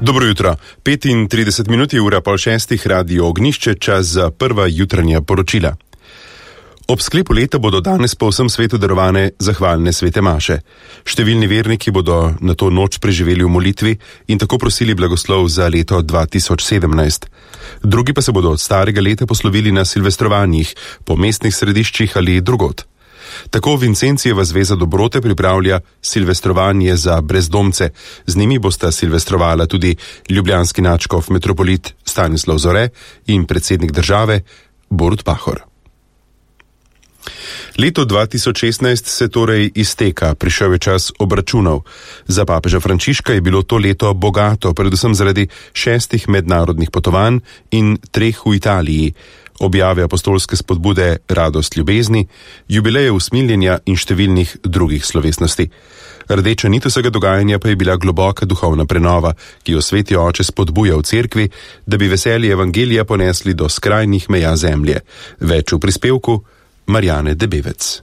Dobro jutro. 35 minut je ura pol šestih, Radio Ognjišče, čas za prva jutranja poročila. Ob sklepu leta bodo danes po vsem svetu darovane zahvalne svete maše. Številni verniki bodo na to noč preživeli v molitvi in tako prosili blagoslov za leto 2017. Drugi pa se bodo od starega leta poslovili na silvestrovanjih, po mestnih središčih ali drugod. Tako Vincencijeva zveza dobrote pripravlja silvestrovanje za brezdomce. Z njimi bosta silvestrovala tudi ljubljanski nadškof metropolit Stanislav Zore in predsednik države Borut Pahor. Leto 2016 se torej izteka, prišel je čas obračunov. Za papeža Frančiška je bilo to leto bogato, predvsem zaradi 6 mednarodnih potovanj in 3 v Italiji, objave apostolske spodbude Radost ljubezni, jubileje usmiljenja in številnih drugih slovesnosti. Rdeča nit vsega dogajanja pa je bila globoka duhovna prenova, ki jo Sveti Oče spodbuja v cerkvi, da bi veselje evangelija ponesli do skrajnih meja zemlje. Več v prispevku Marjane Debevec.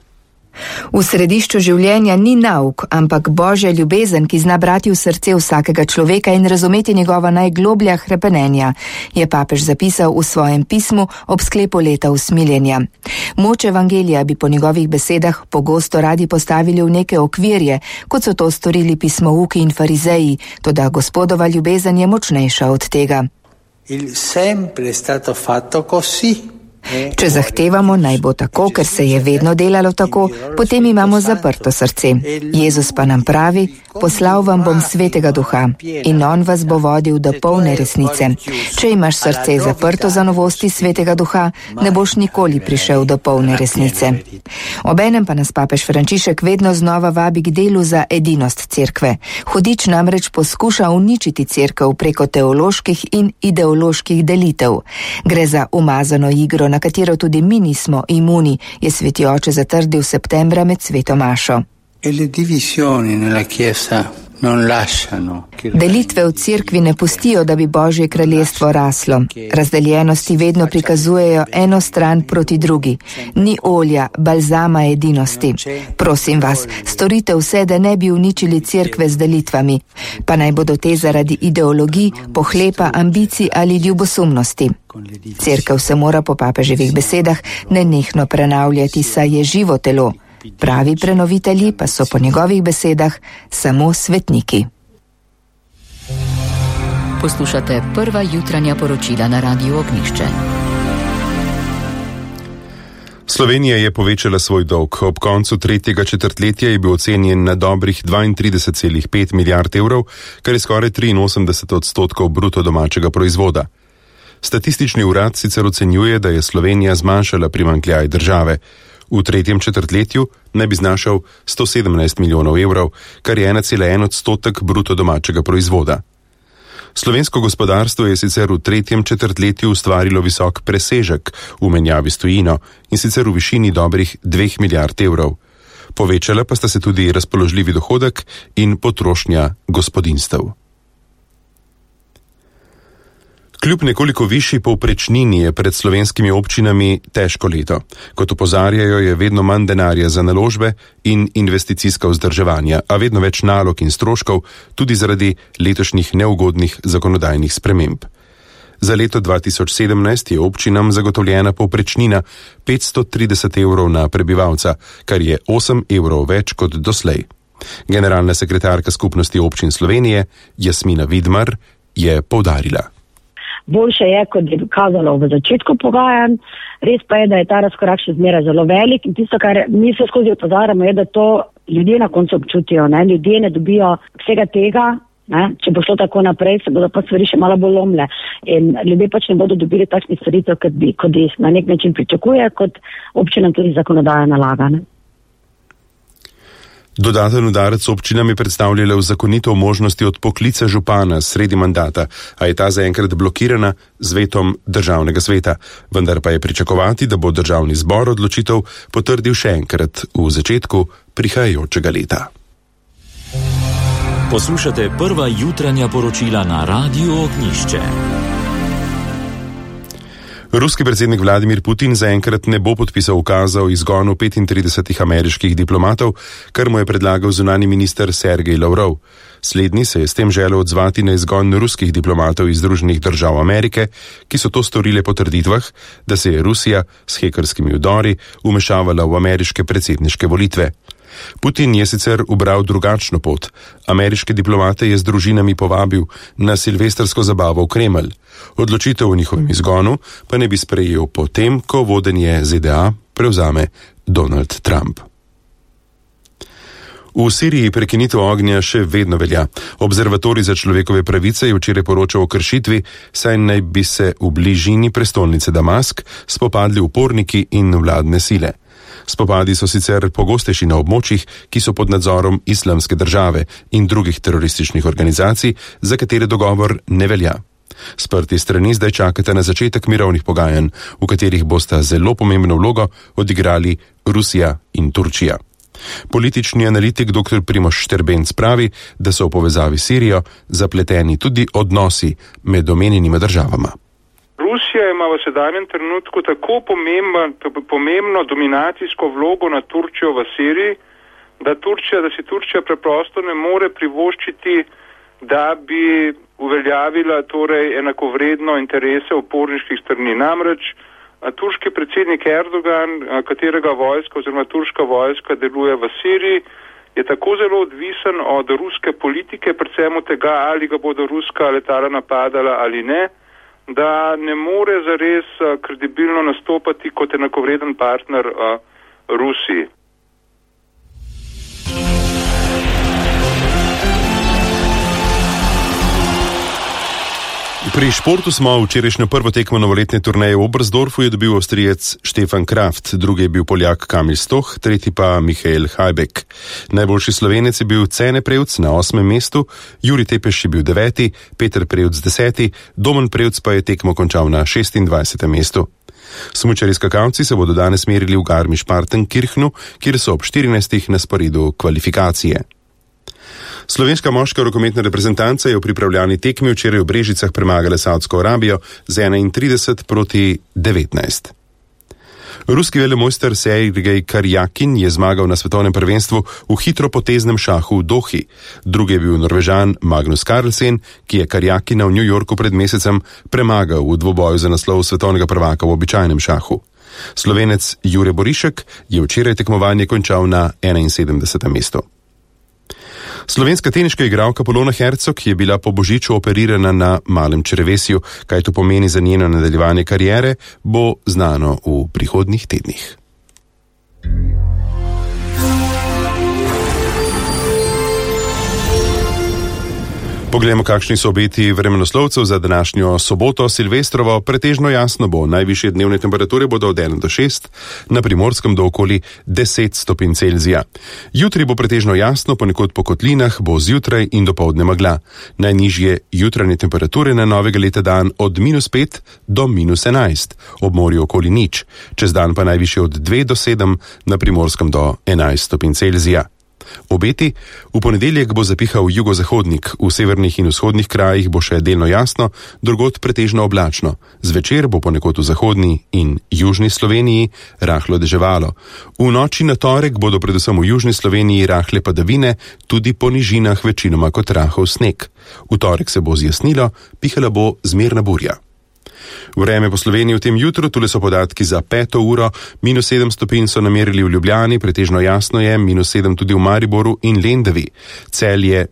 V središču življenja ni nauk, ampak Božja ljubezen, ki zna brati v srce vsakega človeka in razumeti njegova najgloblja hrepenenja, je papež zapisal v svojem pismu ob sklepu leta usmiljenja. Moč evangelija bi po njegovih besedah pogosto radi postavili v neke okvirje, kot so to storili pismouki in farizeji, toda Gospodova ljubezen je močnejša od tega. Il sempre è stato fatto così. Če zahtevamo, naj bo tako, ker se je vedno delalo tako, potem imamo zaprto srce. Jezus pa nam pravi, poslal vam bom Svetega Duha in on vas bo vodil do polne resnice. Če imaš srce zaprto za novosti Svetega Duha, ne boš nikoli prišel do polne resnice. Obenem pa nas papež Frančišek vedno znova vabi k delu za edinost cerkve. Hudič namreč poskuša uničiti cerkev preko teoloških in ideoloških delitev. Gre za umazano igro, na katero tudi mi nismo imuni, je Sveti Oče zatrdil septembra med sveto mašo. Delitve v cerkvi ne pustijo, da bi Božje kraljestvo raslo. Razdeljenosti vedno prikazujejo eno stran proti drugi. Ni olja, balzama edinosti. Prosim vas, storite vse, da ne bi uničili cerkve z delitvami, pa naj bodo te zaradi ideologij, pohlepa, ambicij ali ljubosumnosti. Cerkev se mora po papeževih besedah nenehno prenavljati, saj je živo telo. Pravi prenovitelji pa so po njegovih besedah samo svetniki. Poslušate prva jutranja poročila na Radiu Ognjišče. Slovenija je povečala svoj dolg. Ob koncu tretjega četrtletja je bil ocenjen na dobrih 32,5 milijard evrov, kar je skoraj 83% bruto domačega proizvoda. Statistični urad sicer ocenjuje, da je Slovenija zmanjšala primanjkljaj države. V tretjem četrtletju naj bi znašal 117 milijonov evrov, kar je 1,1% bruto domačega proizvoda. Slovensko gospodarstvo je sicer v tretjem četrtletju ustvarilo visok presežek v menjavi s tujino in sicer v višini dobrih 2 milijard evrov. Povečala pa sta se tudi razpoložljivi dohodek in potrošnja gospodinjstev. Kljub nekoliko višji povprečnini je pred slovenskimi občinami težko leto. Kot opozarjajo, je vedno manj denarja za naložbe in investicijska vzdrževanja, a vedno več nalog in stroškov tudi zaradi letošnjih neugodnih zakonodajnih sprememb. Za leto 2017 je občinam zagotovljena povprečnina 530 evrov na prebivalca, kar je 8 evrov več kot doslej. Generalna sekretarka Skupnosti občin Slovenije, Jasmina Vidmar, je poudarila. Boljše je, kot je kazalo v začetku pogajanj, res pa je, da je ta razkorak še zmeraj zelo velik in tisto, kar mi se skozi opozarjamo, je, da to ljudje na koncu občutijo. Ljudje ne dobijo vsega tega, če bo šlo tako naprej, se bodo pa stvari še malo bolj lomle in ljudje pač ne bodo dobili takšnih storitev, kot jih na nek način pričakuje, kot občinam tudi zakonodaja nalaga. Dodaten udarec občinam je predstavljala uzakonitev možnosti odpoklica župana sredi mandata, a je ta zaenkrat blokirana z vetom državnega sveta, vendar pa je pričakovati, da bo državni zbor odločitev potrdil še enkrat v začetku prihajajočega leta. Poslušate prva jutranja poročila na Radiu Ognjišče. Ruski predsednik Vladimir Putin zaenkrat ne bo podpisal ukaza o izgonu 35 ameriških diplomatov, kar mu je predlagal zunanji minister Sergej Lavrov. Slednji se je s tem želel odzvati na izgon ruskih diplomatov iz Združenih držav Amerike, ki so to storile po trditvah, da se je Rusija s hekerskimi vdori vmešavala v ameriške predsedniške volitve. Putin je sicer ubral drugačno pot. Ameriške diplomate je z družinami povabil na silvestrsko zabavo v Kremelj. Odločitev o njihovem izgonu pa ne bi sprejel potem, ko vodenje ZDA prevzame Donald Trump. V Siriji prekinitev ognja še vedno velja. Observatorij za človekove pravice je včeraj poročal o kršitvi, saj naj bi se v bližini prestolnice Damask spopadli uporniki in vladne sile. Spopadi so sicer pogostejši na območjih, ki so pod nadzorom Islamske države in drugih terorističnih organizacij, za katere dogovor ne velja. Sprti strani zdaj čakate na začetek mirovnih pogajanj, v katerih bosta zelo pomembno vlogo odigrali Rusija in Turčija. Politični analitik dr. Primož Šterbenc pravi, da so v povezavi s Sirijo zapleteni tudi odnosi med omenjenima državama. Rusija ima v sedanjem trenutku tako pomembno dominacijsko vlogo na Turčijo v Siriji, da si Turčija preprosto ne more privoščiti, da bi uveljavila enakovredno interese uporniških strani. Namreč turški predsednik Erdogan, katerega vojska oziroma turška vojska deluje v Siriji, je tako zelo odvisen od ruske politike, predvsem od tega, ali ga bodo ruska letala napadala ali ne, da ne more zares kredibilno nastopati kot enakovreden partner Rusiji. Pri športu smo včerajšnjo prvo tekmo novoletne turneje v Oberstdorfu je dobil Avstrijec Stefan Kraft, drugi je bil Poljak Kamil Stoh, tretji pa Michael Hajbek. Najboljši Slovenec je bil Cene Prevc na 8. mestu, Juri Tepeš je bil 9., Peter Prevc 10., Domen Prevc pa je tekmo končal na 26. mestu. Smučarji skakalci se bodo danes merili v Garmisch-Partenkirchnu, kjer so ob 14. na sporedu kvalifikacije. Slovenska moška rokometna reprezentanca je v pripravljalni tekmi včeraj v Brežicah premagala Savdsko Arabijo z 31-19. Ruski velemojster Sergej Karjakin je zmagal na svetovnem prvenstvu v hitropoteznem šahu v Dohi. Drugi je bil Norvežan Magnus Carlsen, ki je Karjakina v New Yorku pred mesecem premagal v dvoboju za naslov svetovnega prvaka v običajnem šahu. Slovenec Jure Borišek je včeraj tekmovanje končal na 71. mestu. Slovenska teniška igralka Polona Hercog je bila po božiču operirana na malem črevesju. Kaj to pomeni za njeno nadaljevanje kariere, bo znano v prihodnjih tednih. Poglejmo, kakšni so obeti vremenoslovcev za današnjo soboto Silvestrovo. Pretežno jasno bo, najvišje dnevne temperature bodo od 1 do 6, na Primorskem do okoli 10 stopinj Celzija. Jutri bo pretežno jasno, ponekod po kotlinah bo zjutraj in dopoldne megla. Najnižje jutranje temperature na novega leta dan od -5 do -11, ob morju okoli 0, čez dan pa najvišje od 2 do 7, na Primorskem do 11 stopinj Celzija. Obeti: v ponedeljek bo zapihal jugozahodnik, v severnih in vzhodnih krajih bo še delno jasno, drugod pretežno oblačno. Zvečer bo ponekod v zahodni in južni Sloveniji rahlo deževalo. V noči na torek bodo predvsem v južni Sloveniji rahle padavine, tudi po nižinah večinoma kot rahel sneg. V torek se bo zjasnilo, pihala bo zmerna burja. Vreme po Sloveniji v tem jutru, tule so podatki za 5. uro, -7 stopinj so namerili v Ljubljani, pretežno jasno je, -7 tudi v Mariboru in Lendavi. Celje